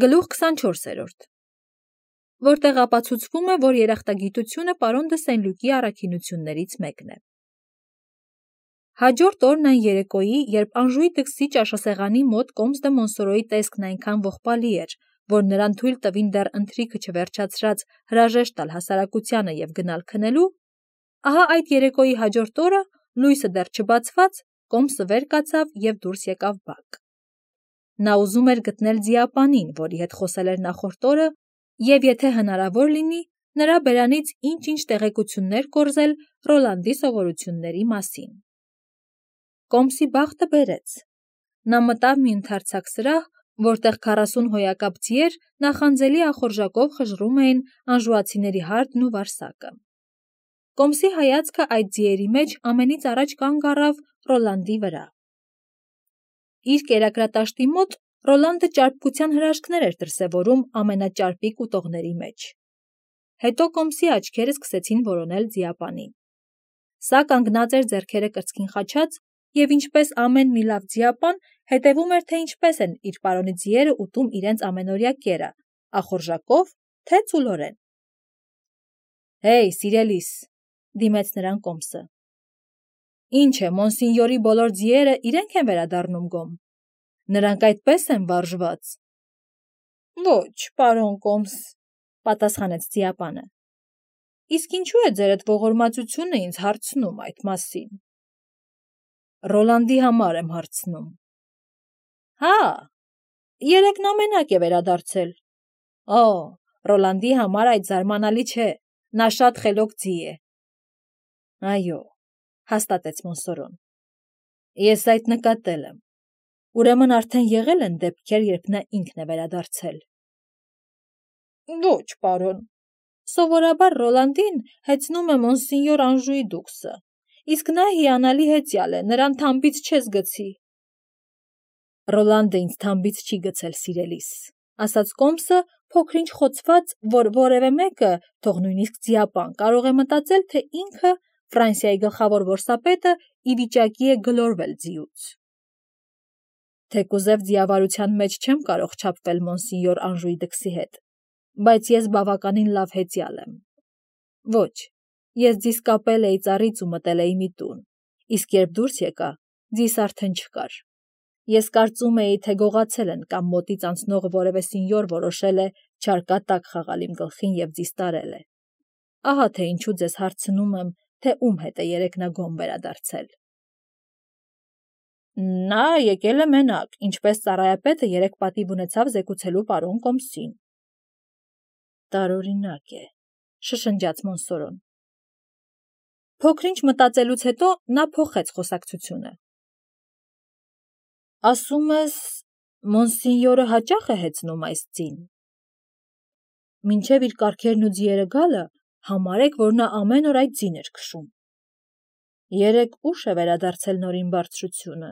Գլուխ 24, որտեղ ապացուցվում է, որ երախտագիտությունը պարոն դը Սեն-Լուկի առաքինություններից մեկն է։ Հաջորդ օրն այն երեկոյի, երբ Անժուի դքսի ճաշասեղանի մոտ Կոմս դը Մոնսորոյի տեսքն այնքան ողբալի էր, որ նրան թույլ տվին դեռ ընթրիքը չվերջացրած հրաժեշտ տալ հասարակությանը և գնալ քնելու, ահա այդ երեկոյի հաջորդ օրը, լույսը դեռ չբացված, Կոմսը վեր կացավ և դուրս եկավ բակ։ Նա ուզում էր գտնել ձիապանին, որի հետ խոսել էր նախորդ օրը, և եթե հնարավոր լինի, նրա բերանից ինչ-ինչ տեղեկություններ կորզել Ռոլանդի սովորությունների մասին։ Կոմսի բախտը բերեց։ Նա մտավ մի ընդարձակ սրահ, որտեղ 40 հոյակապ ձիեր նախանձելի ախորժակով խժռում էին անժուացիների հարդն ու վարսակը։ Կոմսի հայացքը այդ ձիերի մեջ ամենից առաջ կանգ առավ Ռոլանդի վրա։ Իր կերակրատաշտի մոտ Ռոլանդը ճարպկության հրաշքներ էր դրսևորում ամենաճարպիկ ուտողների մեջ։ Հետո Կոմսի աչքերը սկսեցին որոնել ձիապանին։ Սա կանգնած էր ձեռքերը կրծքին խաչած և ինչպես ամեն մի լավ ձիապան հետևում էր, թե ինչպես են իր պարոնի ձիերը ուտում իրենց ամենօրյա կերը, ախորժակով, թե ծուլորեն։ «Հեյ, սիրելիս», դիմեց նրան Կոմսը։ «Ինչ է, Մոնսինյորի բոլոր ձիերը իրենք են վերադառնում գոմ։ Նրանք այդպես են վարժված»։ «Ոչ, պարոն Կոմս», պատասխանեց ձիապանը։ «Իսկ ինչու է ձերդ ողորմածությունը ինձ հարցնում այդ մասին»։ «Ռոլանդի համար եմ հարցնում»։ «Հա, երեկ նա մենակ է վերադարձել»։ «Օ, Ռոլանդի համար այդ զարմանալի չէ, նա շատ խելոք ձի է»։ «Այո», հաստատեց Մոնսորոն։ «Ես այդ նկատել եմ։ Ուրեմն արդեն եղել են դեպքեր, երբ նա ինքն է վերադարձել»։ «Ոչ, պարոն, սովորաբար Ռոլանդին հեծնում է Մոնսինյոր Անժուի դուքսը, իսկ նա հիանալի հեծյալ է, նրան թամբից չես գցի»։ «Ռոլանդը ինձ թամբից չի գցել, սիրելիս», ասաց Կոմսը, փոքր-ինչ խոցված, որ որևէ մեկը, թող նույնիսկ ձիապան, կարող է մտածել, թե ինքը, Ֆրանսիայի գլխավոր որսապետը, ի վիճակի է գլորվել ձիուց։ «Թեկուզև ձիավարության մեջ չեմ կարող չափվել Մոնսինյոր Անժուի դքսի հետ, բայց ես բավականին լավ հեծյալ եմ։ Ոչ, ես ձիս կապել էի ծառից ու մտել էի մի տուն, իսկ երբ դուրս եկա, ձիս արդեն չկար։ Ես կարծում էի, թե գողացել են կամ մոտից անցնող որևէ սինյոր որոշել է չարկատակ խաղալ իմ գլխին և ձիս տարել է։ Ահա թե ինչու ձեզ հարցնում եմ, թե ում հետ է երեկ նա գոմ վերադարձել»։ «Նա եկել է մենակ, ինչպես ծառայապետը երեկ պատիվ ունեցավ զեկուցելու պարոն Կոմսին»։ «Տարօրինակ է», շշնջաց Մոնսորոն։ Փոքր-ինչ մտածելուց հետո նա փոխեց խոսակցությունը։ «Ասում ես, Մոնսինյորը հաճա՞խ է հեծնում այս ձին»։ «Մինչև իր կառքերն ու ձիերը գալը, համարեք, որ նա ամեն օր այդ ձին էր քշում»։ «Երեկ ուշ է վերադարձել Նորին բարձրությունը»։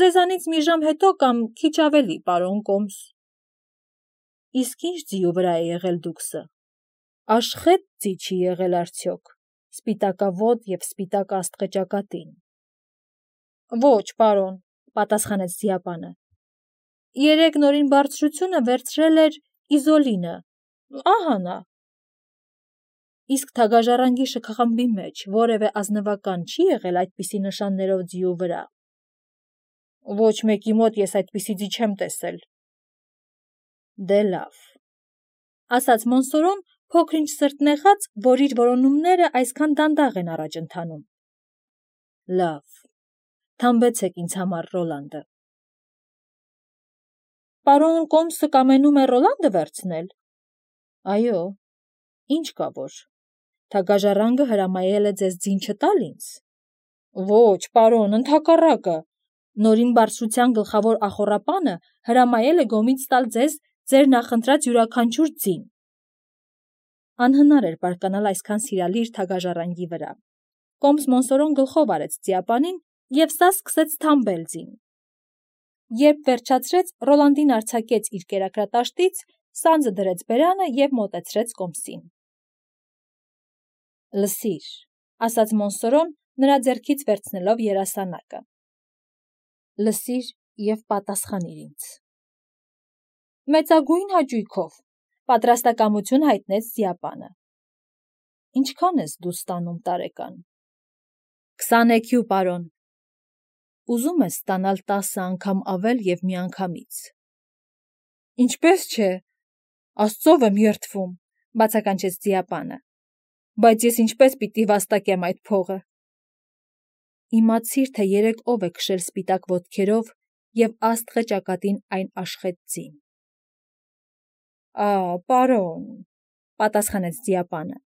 «Ձեզանից մի ժամ հետո կամ քիչ ավելի, պարոն Կոմս»։ «Իսկ ինչ ձիու վրա է եղել դուքսը։ Աշխե՞տ ձի չի եղել արդյոք, սպիտակավոտ և սպիտակ աստղը ճակատին»։ «Ոչ, պարոն», պատասխանեց ձիապանը։ «Երեկ Նորին բարձրությունը վերցրել էր Իզոլինը, ահա նա»։ «Իսկ թագաժառանգի շքախմբի մեջ որևէ ազնվական չի եղել այդպիսի նշաններով ձիու վրա»։ «Ոչ մեկի մոտ ես այդպիսի ձի չեմ տեսել»։ «Դե լավ», ասաց Մոնսորոն, փոքր-ինչ սրտնեղած, որ իր որոնումները այսքան դանդաղ են առաջ ընթանում։ «Լավ, թամբեցեք ինձ համար Ռոլանդը»։ «Պարոն Կոմսը կամենում է Ռոլանդը վերցնել»։ «Այո, ինչ կա որ, թագաժառանգը հրամայել է ձեզ ձին չտալ ինձ»։ «Ոչ, պարոն, ընդհակառակը, Նորին բարձրության գլխավոր ախոռապանը հրամայել է գոմից տալ ձեզ ձեր նախընտրած յուրաքանչյուր ձին»։ Անհնար էր բարկանալ այսքան սիրալիր թագաժառանգի վրա։ Կոմս Մոնսորոն գլխով արեց ձիապանին, և սա սկսեց թամբել ձին։ Երբ վերջացրեց, Ռոլանդին արձակեց իր կերակրատաշտից, սանձը դրեց բերանը և մոտեցրեց Կոմսին։ «Լսիր», ասաց Մոնսորոն, նրա ձեռքից վերցնելով երասանակը։ «Լսիր և պատասխանիր ինձ»։ Մեծագույն հաճույքով, պատրաստակամություն հայտնեց Զիապանը։ Ինչքան ես դու ստանում տարեկան։ 20 EQ, պարոն։ Ուզում ես ստանալ 10 անգամ ավել և միանգամից։ Ինչպես չէ, Աստծով եմ երդվում, բացականչեց Զիապանը։ Բայց ես ինչպես պիտի վաստակեմ այդ փողը։ Իմացիր, թե երեկ ով է քշել սպիտակ ոտքերով և աստղը ճակատին այն աշխեց ձին։ Պարոն, պատասխանեց Զիապանը։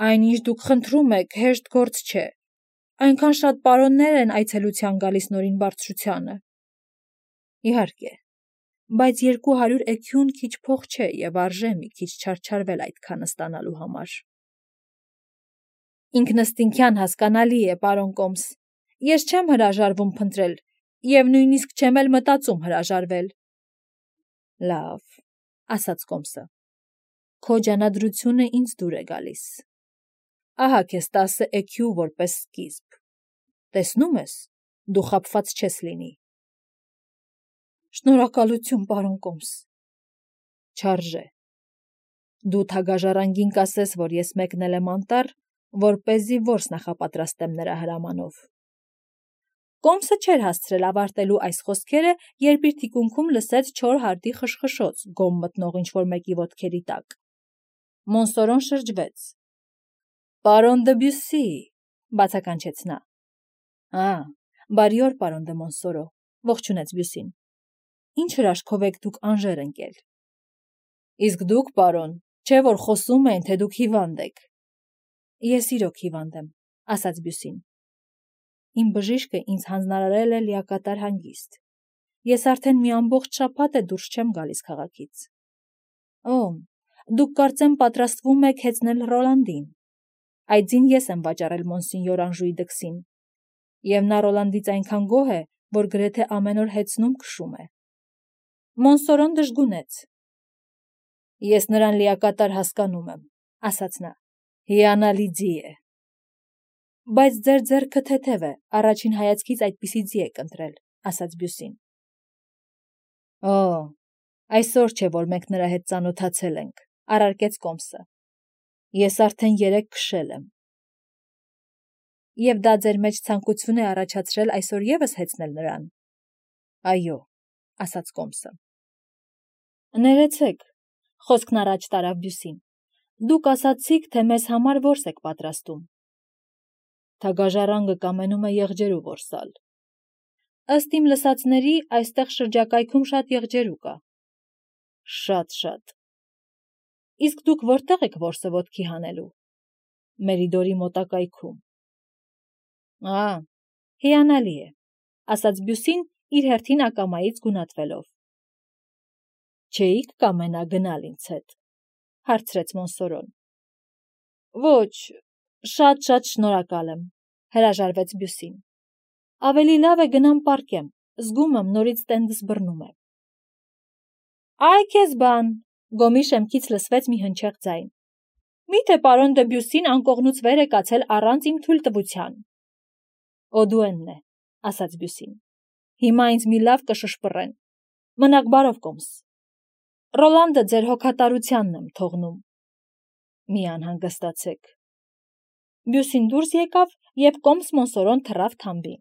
Այն, ինչ դուք խնդրում եք, հեշտ գործ չէ։ Այնքան շատ պարոններ են այցելության գալիս Նորին բարձրությանը։ Իհարկե, բայց 200 EQ-ն քիչ փող չէ և արժե մի քիչ չարչարվել այդքանը ստանալու համար։ Ինքնըստինքյան հասկանալի է, պարոն Կոմս։ Ես չեմ հրաժարվում փնտրել և նույնիսկ չեմ էլ մտածում հրաժարվել։ Լավ, ասաց Կոմսը։ Քո ջանադրությունը ինձ դուր է գալիս։ Ահա քեզ 10 EQ որպես սկիզբ։ Տեսնում ես, դու խաբված չես լինի։ Շնորհակալություն, պարոն Կոմս։ Չարժե։ Դու թագաժառանգին կասես, որ ես մեկնել եմ անտառ, որպեսզի որս նախապատրաստեմ նրա հրամանով։ Կոմսը չէր հասցրել ավարտելու այս խոսքերը, երբ իր թիկունքում լսեց չոր հարդի խշխշոց գոմ մտնող ինչ-որ մեկի ոտքերի տակ։ Մոնսորոն շրջվեց։ Պարոն Դեբյուսի, բացականչեց նա։ Բարի օր, պարոն դե Մոնսորո, ողջունեց Բյուսին։ Ինչ հրաշքով եք դուք Անժեր ընկել։ Իսկ դուք, պարոն, չէ որ խոսում են, թե դուք հիվանդ եք։ Ես իրոք հիվանդ եմ, ասաց Բյուսին։ Իմ բժիշկը ինձ հանձնարարել է լիակատար հանգիստ։ Ես արդեն մի ամբողջ շաբաթ է դուրս չեմ գալիս քաղաքից։ Դուք կարծեմ պատրաստվում եք հեծնել Ռոլանդին։ Այդ ձին ես եմ վաճառել մոնսինյոր Անժուի դքսին։ Եվ նա Ռոլանդից այնքան գոհ է, որ գրեթե ամեն օր հեծնում քշում է։ Մոնսորոն դժգունեց։ Ես նրան լիակատար հասկանում եմ, ասաց նա։ Հիանալի ձի է։ Բայց ձեր ձեռքը թեթև է, առաջին հայացքից այդպիսի ձի եք ընտրել, ասաց Բյուսին։ Այսօր չէ, որ մենք նրա հետ ծանոթացել ենք, առարկեց Կոմսը։ Ես արդեն 3 քշել եմ։ Եվ դա ձեր մեջ ցանկություն է առաջացրել այսօր ևս հեծնել նրան։ Այո, ասաց Կոմսը։ Ներեցեք, խոսքն առաջ տարավ Բյուսին։ Դուք ասացիք, թե մեզ համար որս եք պատրաստում։ Թագաժառանգը կամենում է եղջերու որսալ։ Ըստ իմ լսածների, այստեղ շրջակայքում շատ եղջերու կա։ Շատ։ Իսկ դուք որտեղ եք որսը ոտքի հանելու։ Մերիդորի մոտակայքում։ Հիանալի է, ասաց Բյուսին իր հերթին ակամայից գունատվելով։ Չէիք կամենա գնալ ինձ հետ, հարցրեց Մոնսորոն։ Ոչ, շատ շնորհակալ եմ, հրաժարվեց Բյուսին։ Ավելի լավ է գնամ պառկեմ, զգում եմ նորից տենդս բռնում է։ Այ քեզ բան, Գոմի շեմքից լսվեց մի հնչեղ ձայն։ Միթե պարոն Դեբյուսին անկողնուց վեր է կացել առանց իմ թույլտվության։ Օդուենն է, ասաց Բյուսին։ Հիմա ինձ մի լավ կշշպռեն։ Մնաք բարով, Կոմս։ Ռոլանդը ձեր հոգատարությանն եմ թողնում։ Մի անհանգստացեք։ Բյուսին դուրս եկավ և Կոմս Մոնսորոն թռավ թամբին։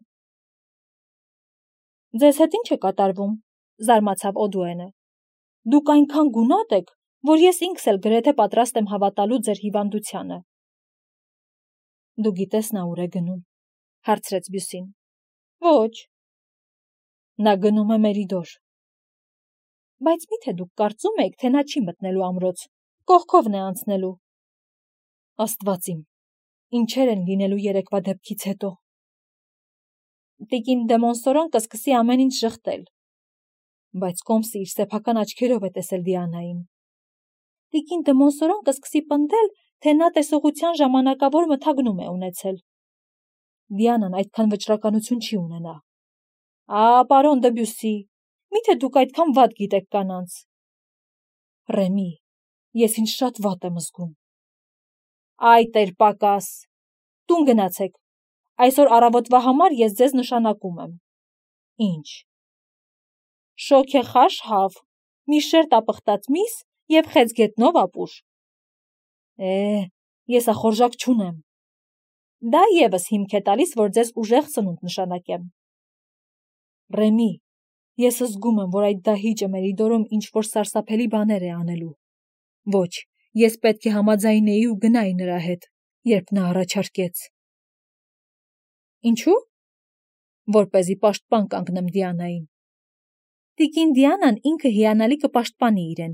Ձեզ հետ ինչ է կատարվում, զարմացավ Օդուենը։ Դուք այնքան գունատ եք, որ ես ինքս էլ գրեթե պատրաստ եմ հավատալու ձեր հիվանդությանը։ Դու գիտես նա ուր է գնում, հարցրեց Բյուսին։ Ոչ։ Նա գնում է Մերիդոր։ Բայց միթե դուք կարծում եք, թե նա չի մտնելու ամրոց, կողքովն է անցնելու։ Աստված իմ, ինչեր են լինելու երեկվա դեպքից հետո։ Տիկին դե Մոնսորոն կսկսի ամեն ինչ ժխտել։ Բայց Կոմսը իր սեփական աչքերով է տեսել Դիանային։ Տիկին դե Մոնսորոն կսկսի պնդել, թե նա տեսողության ժամանակավոր մթագնում է ունեցել։ Դիանան այդքան վճռականություն չի ունենա։ Պարոն Դեբյուսի, միթե դուք այդքան վատ գիտեք կանանց։ Ռեմի, ես ինձ շատ վատ եմ զգում։ Այ տեր պակաս, տուն գնացեք։ Այսօր առավոտվա համար ես ձեզ նշանակում եմ։ Ինչ։ Շոգեխաշ հավ, մի շերտ ապխտած միս և խեց գետնով ապուր։ Ես ախորժակ չունեմ։ Դա ևս հիմք է տալիս, որ ձեզ ուժեղ ծնունդ նշանակեմ։ Ռեմի, ես զգում եմ, որ այդ դահիճը Մերիդորում ինչ-որ սարսափելի բաներ է անելու։ Ոչ, ես պետք է համաձայնեի ու գնայի նրա հետ, երբ նա առաջարկեց։ Ինչու՞։ Որպեսզի պաշտպան կանգնեմ Դիանային։ Տիկին Դիանան ինքը հիանալի կպաշտպանի իրեն։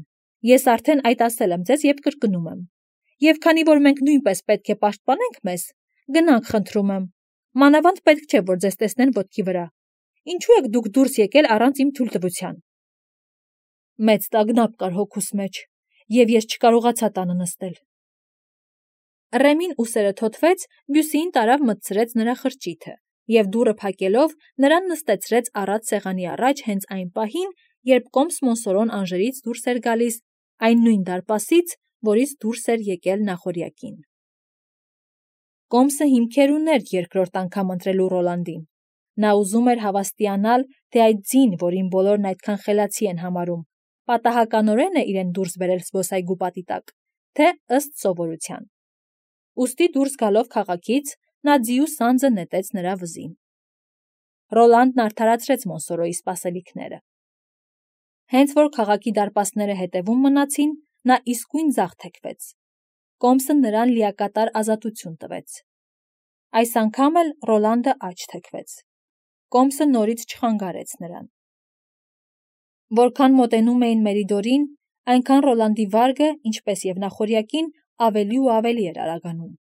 Ես արդեն այդ ասել եմ ձեզ և կրկնում եմ։ Եվ քանի որ մենք նույնպես պետք է պաշտպանենք մեզ, գնանք խնդրում եմ։ Մանավանդ պետք չէ, որ ձեզ տեսնեն ոտքի վրա։ Ինչու եք դուք դուրս եկել առանց իմ թույլտվության։ Մեծ տագնապ կար հոգուս մեջ, և ես չկարողացա տանը նստել։ Ռեմին ուսերը թոթվեց, Բյուսիին տարավ մտցրեց նրա խրճիթը և դուռը փակելով նրան նստեցրեց առատ սեղանի առաջ հենց այն պահին, երբ կոմս Մոնսորոն Անժերից դուրս էր գալիս, այն նույն դարպասից, որից դուրս էր եկել նախօրյակին։ Կոմսը հիմքեր ուներ երկրորդ անգամ ընտրելու Ռոլանդին։ Նա ուզում էր հավաստիանալ, թե այդ ձին, որին բոլորն այդքան խելացի են համարում, պատահականորեն է իրեն դուրս բերել զբոսայգու պատի տակ, թե ըստ սովորության։ Ուստի դուրս գալով քաղաքից, նա ձիու սանձը նետեց նրա վզին։ Ռոլանդն արդարացրեց Մոնսորոյի սպասելիքները։ Հենց որ քաղաքի դարպասները հետևում մնացին, նա իսկույն ձախ թեքվեց։ Կոմսը նրան լիակատար ազատություն տվեց։ Այս անգամ էլ Ռոլանդը աջ թեքվեց։ Կոմսը նորից չխանգարեց նրան։ Որքան մոտենում էին Մերիդորին, այնքան Ռոլանդի վարգը, ինչպես և նախօրյակին, ավելի ու ավելի էր արագանում։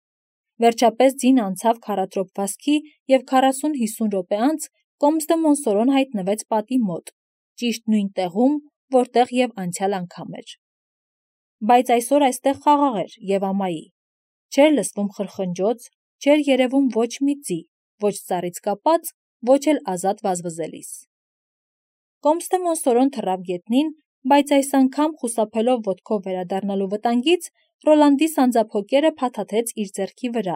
Վերջապես ձին անցավ քառատրոփ վազքի և 40-50 րոպե անց Կոմս դը Մոնսորոն հայտնվեց պատի մոտ, ճիշտ նույն տեղում, որտեղ և անցյալ անգամ էր։ Բայց այսօր այստեղ խաղաղ էր և ամայի։ Չէր լսվում խրխնջոց, չէր երևում ոչ մի ձի, ոչ ծառից կապած, ոչ էլ ազատ վազվզելիս։ Կոմս դը Մոնսորոն թռավ գետնին, բայց այս անգամ, խուսափելով ոտքով վերադառնալու վտանգից, Ռոլանդի սանձափոկերը փաթաթեց իր ձեռքի վրա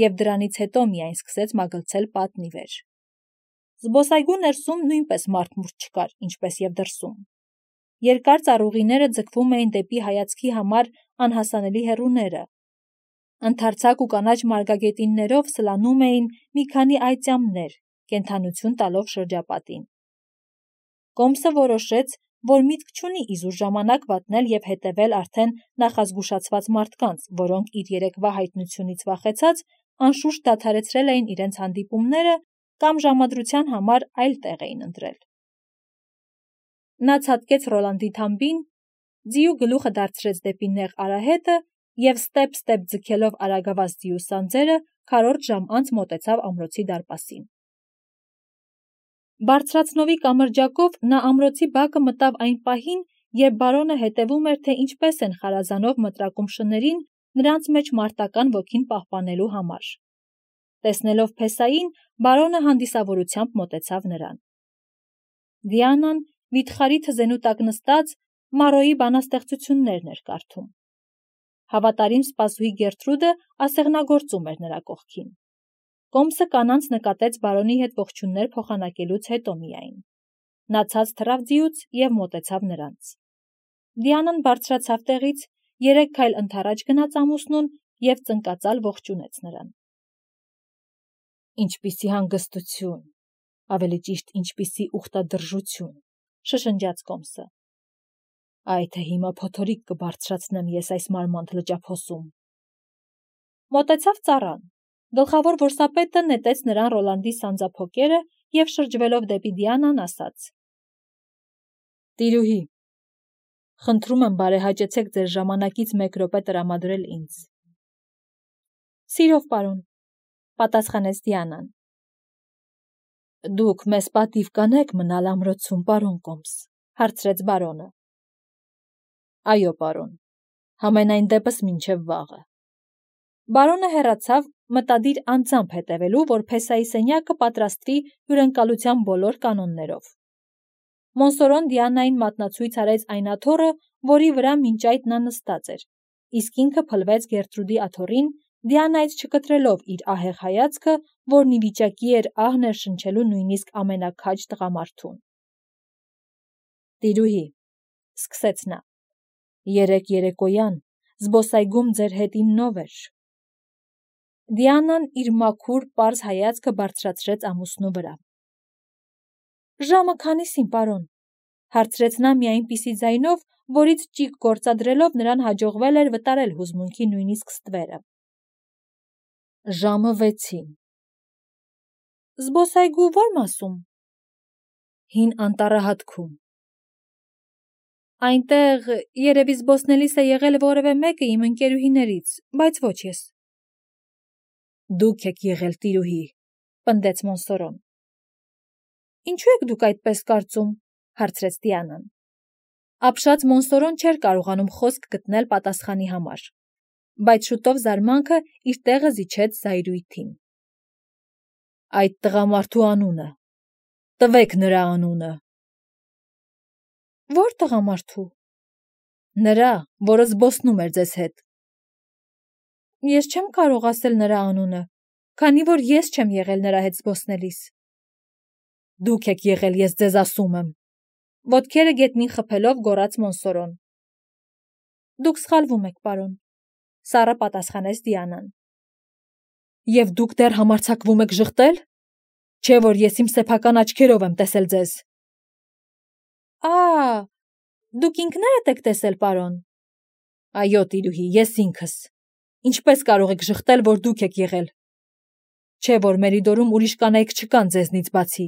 և դրանից հետո միայն սկսեց մագլցել պատն ի վեր։ Զբոսայգու ներսում նույնպես մարդ-մուրդ չկար, ինչպես և դրսում։ Երկար ծառուղիները ձգվում էին դեպի հայացքի համար անհասանելի հեռուները։ Ընդարձակ ու կանաչ մարգագետիններով սլանում էին մի քանի այծյամներ, կենդանություն տալով շրջապատին։ Կոմսը որոշեց, որ միտք չունի իզուր ժամանակ վատնել և հետևել արդեն նախազգուշացված մարդկանց, որոնք իր երեկվա հայտնությունից վախեցած, անշուշտ դադարեցրել էին իրենց հանդիպումները կամ ժամադրության համար այլ տեղ էին ընտրել։ Նա ցատկեց Ռոլանդի թամբին, ձիու գլուխը դարձրեց դեպի նեղ արահետը և ստեպ-ստեպ ձգելով արագավազ ձիու սանձերը, քառորդ ժամ անց մոտեցավ ամրոցի դարպասին։ Բարձրացնովի կամրջակով նա ամրոցի բակը մտավ այն պահին, երբ բարոնը հետևում էր, թե ինչպես են խարազանով մտրակում շներին նրանց մեջ մարտական ոգին պահպանելու համար։ Տեսնելով փեսային, բարոնը հանդիսավորությամբ մոտեցավ նրան։ Դիանան, վիթխարի թզենու տակ նստած, Մարոյի բանաստեղծություններն էր կարդում։ Հավատարիմ սպասուհի Գերտրուդը ասեղնագործում էր նրա կողքին։ Կոմսը կանանց նկատեց բարոնի հետ ողջույններ փոխանակելուց հետո միայն։ Նա ցած թռավ ձիուց և մոտեցավ նրանց։ Դիանան բարձրացավ տեղից, 3 քայլ ընդառաջ գնաց ամուսնուն և ծնկածալ ողջունեց նրան։ Ինչպիսի հանգստություն, ավելի ճիշտ ինչպիսի ուխտադրժություն, շշնջաց Կոմսը։ Այ թե հիմա փոթորիկ կբարձրացնեմ ես այս մարմանդ լճափոսում։ Մոտեցավ ծառան։ Գլխավոր որսապետը նետեց նրան Ռոլանդի սանձափոկերը և շրջվելով դեպի Դիանան ասաց. Տիրուհի, խնդրում եմ բարեհաճեցեք ձեր ժամանակից 1 րոպե տրամադրել ինձ։ Սիրով, պարոն, պատասխանեց Դիանան։ Դուք մեզ պատիվ կանեք մնալ ամրոցում, պարոն Կոմս, հարցրեց բարոնը։ Այո, պարոն, համենայն դեպս մինչև վաղը։ Բարոնը հեռացավ, մտադիր անձամբ հետևելու, որ փեսայի սենյակը պատրաստվի հյուրընկալության բոլոր կանոններով։ Մոնսորոն Դիանային մատնացույց արեց այն աթոռը, որի վրա մինչ այդ նա նստած էր, իսկ ինքը փլվեց Գերտրուդի աթոռին, Դիանայից չկտրելով իր ահեղ հայացքը, որն ի վիճակի էր ահ ներշնչելու նույնիսկ ամենաքաջ տղամարդուն։ Տիրուհի, սկսեց նա։ Երեկ երեկոյան զբոսայգում ձեր հետ իննով էր։ Դիանան իր մաքուր պարզ հայացքը բարձրացրեց ամուսնու վրա։ Ժամը քանիսին, պարոն, հարցրեց նա մի այնպիսի ձայնով, որից ճիգ գործադրելով նրան հաջողվել էր վտարել հուզմունքի նույնիսկ ստվերը։ Ժամը 6-ին։ Զբոսայգու ո՞ր մասում։ Հին անտառահատքում։ Այնտեղ երևի զբոսնելիս է եղել որևէ մեկը իմ ընկերուհիներից, բայց ոչ ես։ Դուք եք եղել տիրուհի, պնդեց Մոնսորոն։ Ինչու եք դուք այդպես կարծում, հարցրեց Դիանան։ Ապշած Մոնսորոն չէր կարողանում խոսք գտնել պատասխանի համար, բայց շուտով զարմանքը իր տեղը զիջեց զայրույթին։ Այդ տղամարդու անունը։ Տվեք նրա անունը։ Ո՞ր տղամարդու։ Նրա, որը զբոսնում էր ձեզ հետ։ Ես չեմ կարող ասել նրա անունը, քանի որ ես չեմ եղել նրա հետ զբոսնելիս։ Դուք եք եղել, ես ձեզ ասում եմ։ Ոտքերը գետնին խփելով գոռաց Մոնսորոն։ Դուք սխալվում եք, պարոն, սառը պատասխանեց Դիանան։ Եվ դուք դեռ համարձակվում եք ժխտել։ Չէ՞ որ ես իմ սեփական աչքերով եմ տեսել ձեզ։ Դուք ինքներդ եք տեսել, պարոն։ Այո, տիրուհի, ես ինքս։ Ինչպես կարող եք ժխտել, որ դուք եք եղել։ Չէ՞ որ Մերիդորում ուրիշ կանայք չկան ձեզնից բացի։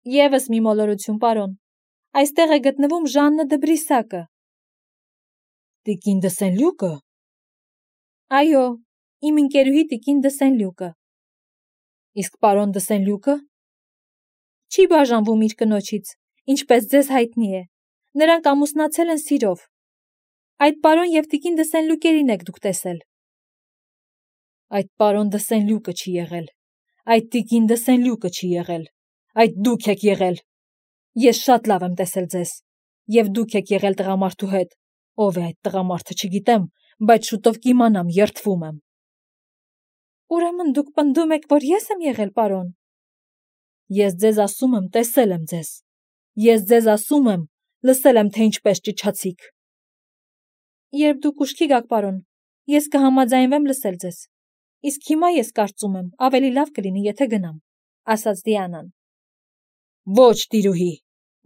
Եվս մի մոլորություն, պարոն։ Այստեղ է գտնվում Ժաննը դը Բրիսակը։ Տիկին դը Սեն-Լյուկը։ Այո, իմ ընկերուհի տիկին դը Սեն-Լյուկը։ Իսկ պարոն դը Սեն-Լյուկը։ Չի բաժանվում իր կնոջից, ինչպես ձեզ հայտնի է։ Նրանք ամուսնացել են սիրով։ Այդ պարոն եւ տիկին դը Սեն-Լյուկերին եք դուք տեսել։ Այդ պարոն դը Սեն-Լյուկը չի եղել։ Այդ տիկին դը Սեն-Լյուկը չի եղել։ Այդ դուք եք եղել։ Ես շատ լավ եմ տեսել ձեզ։ Եվ դուք եք եղել տղամարդու հետ։ Ով է այդ տղամարդը, չգիտեմ, բայց շուտով կիմանամ, երդվում եմ։ Ուրեմն դուք պնդում եք, որ ես եմ եղել, պարոն։ Ես ձեզ ասում եմ, տեսել եմ ձեզ։ Ես ձեզ ասում եմ, լսել եմ, թե ինչպես ճչացիք։ Երբ դուք ուշքի գաք, պարոն, ես կհամաձայնվեմ լսել ձեզ։ Իսկ հիմա ես կարծում եմ, ավելի լավ կլինի, եթե գնամ, ասաց Դիանան։ Ոչ, տիրուհի,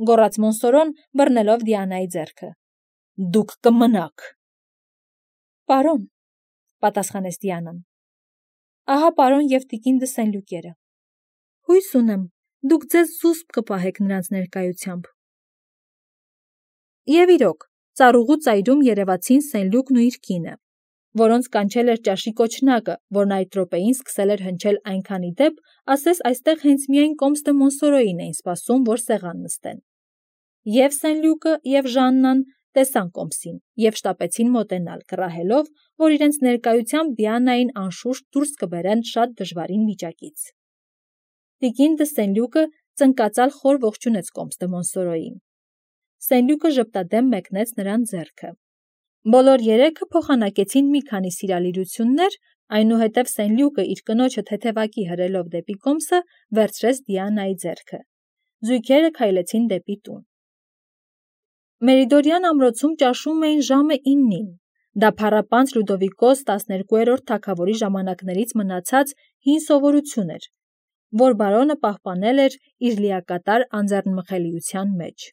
գոռաց Մոնսորոն, բռնելով Դիանայի ձեռքը։ Դուք կմնաք։ Պարոն, պատասխանեց Դիանան։ Ահա պարոն եւ տիկին դը Սեն-Լյուկերը։ Հույս ունեմ, դուք ձեզ զուսպ կպահեք նրանց ներկայությամբ։ Եվ իրոք, ծառուղու ծայրում երևացին Սեն-Լյուկն ու իր կինը, որոնց կանչել էր ճաշի կոչնակը, որն այդ րոպեին սկսել էր հնչել այնքանի դեպ, ասես այստեղ հենց միայն կոմս դը Մոնսորոյին էին սպասում, որ սեղան նստեն։ Եվ Սեն-Լյուկը, եւ Ժաննան տեսան կոմսին եւ շտապեցին մոտենալ, կռահելով, որ իրենց ներկայությամբ Դիանային անշուշտ դուրս կբերեն շատ դժվարին վիճակից։ Տիկին դը Սեն-Լյուկը ծնկածալ խոր ողջունեց կոմս դը Մոնսորոյին։ Սեն-Լյուկը ժպտադեմ մեկնեց նրան ձեռքը։ Բոլոր երեքը փոխանակեցին մի քանի սիրալիրություններ, այնուհետև Սեն-Լյուկը իր կնոջը թեթևակի հրելով դեպի կոմսը վերցրեց Դիանայի ձեռքը։ Զույգերը քայլեցին դեպի տուն։ Մերիդորյան ամրոցում ճաշում էին ժամը 9-ին։ Դա փառապանծ Լյուդովիկոս 12-րդ թագավորի ժամանակներից մնացած հին սովորություն էր, որ բարոնը պահպանել էր իր լիակատար անձեռնմխելիության մեջ։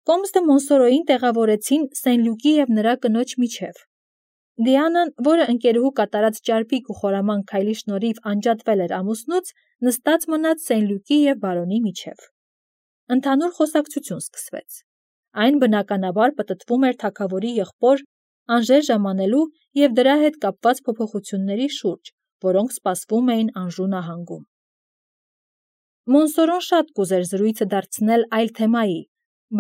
Կոմս դը Մոնսորոյին տեղավորեցին Սեն-Լյուկի եւ նրա կնոջ միջև։ Դիանան, որը ընկերուհու կատարած ճարպիկ ու խորաման քայլի շնորհիվ անջատվել էր ամուսնուց, նստած մնաց Սեն-Լյուկի եւ բարոնի միջև։ Ընդհանուր խոսակցություն սկսվեց։ Այն բնականաբար պտտվում էր թագավորի եղբոր Անժեր ժամանելու եւ դրա հետ կապված փոփոխությունների շուրջ, որոնք սպասվում էին Անժու նահանգում։ Մոնսորոն շատ կուզեր զրույցը դարձնել այլ թեմայի,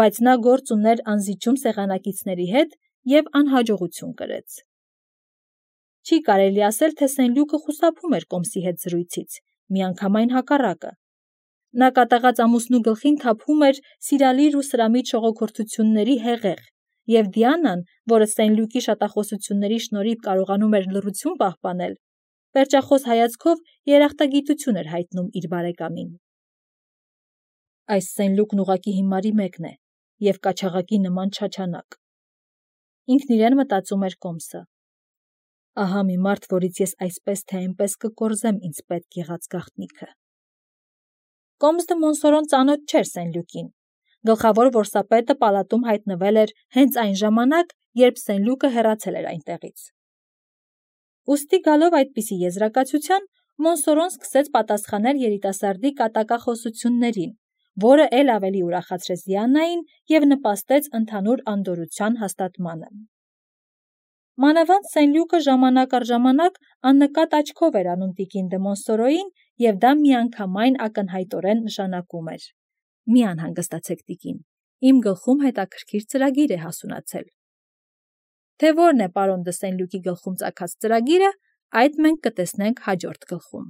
բայց նա գործ ուներ անզիջում սեղանակիցների հետ եւ անհաջողություն կրեց։ Չի կարելի ասել, թե Սեն-Լյուկը խուսափում էր կոմսի հետ զրույցից, միանգամայն հակառակը։ Նա կատաղած ամուսնու գլխին թափում էր սիրալիր ու սրամիտ շողոքորթությունների հեղեղ, եւ Դիանան, որը Սեն-Լյուկի շատախոսությունների շնորհիվ կարողանում էր լռություն պահպանել, վերջախոս հայացքով երախտագիտություն էր հայտնում իր բարեկամին։ Այս Սեն-Լյուկն ուղղակի հիմարի մեկն է, և կաչաղակի նման չաչանակ։ Ինքն իրեն մտածում էր Կոմսը. ահա մի մարդ, որից ես այսպես թե այնպես կկորզեմ ինձ պետք եղած գաղտնիքը։ Կոմս դը Մոնսորոն ծանոթ չէր Սենլյուկին։ Գլխավոր որսապետը պալատում հայտնվել էր հենց այն ժամանակ, երբ Սենլյուկը հեռացել էր այնտեղից։ Ուստի գալով այդպիսի եզրակացության, Մոնսորոն սկսեց պատասխանել երիտասարդի կատակախոսություններին, որը էլ ավելի ուրախացրեց Դիանային և նպաստեց ընդհանուր անդորրության հաստատմանը։ Մանավանդ Սենլյուկը ժամանակ առ ժամանակ աննկատ աչքով էր անում տիկին դը Մոնսորոյին, և դա միանգամայն ակնհայտորեն նշանակում էր. «Մի անհանգստացեք, տիկին, իմ գլխում հետաքրքիր ծրագիր է հասունացել»։ Թե որն է պարոն դը Սենլյուկի գլխում ծագած ծրագիրը, այդ մենք կտեսնենք հաջորդ գլխում։